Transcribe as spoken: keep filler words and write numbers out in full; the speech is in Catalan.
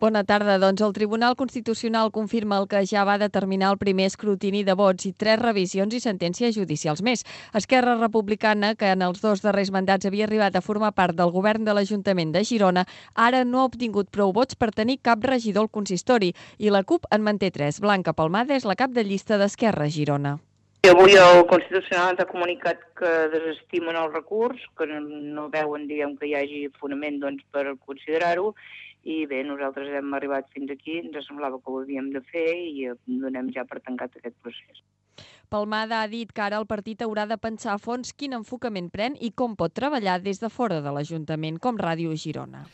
Bona tarda. Doncs el Tribunal Constitucional confirma el que ja va determinar el primer escrutini de vots i tres revisions i sentències judicials més. Esquerra Republicana, que en els dos darrers mandats havia arribat a formar part del govern de l'Ajuntament de Girona, ara no ha obtingut prou vots per tenir cap regidor al consistori i la CUP en manté tres. Blanca Palmada és la cap de llista d'Esquerra a Girona. Avui el Constitucional ens ha comunicat que desestimen el recurs, que no veuen diguem, que hi hagi fonament doncs, per considerar-ho, i bé, nosaltres hem arribat fins aquí, ens semblava que ho havíem de fer i donem ja per tancat aquest procés. Palmada ha dit que ara el partit haurà de pensar a fons quin enfocament pren i com pot treballar des de fora de l'Ajuntament, com Ràdio Girona.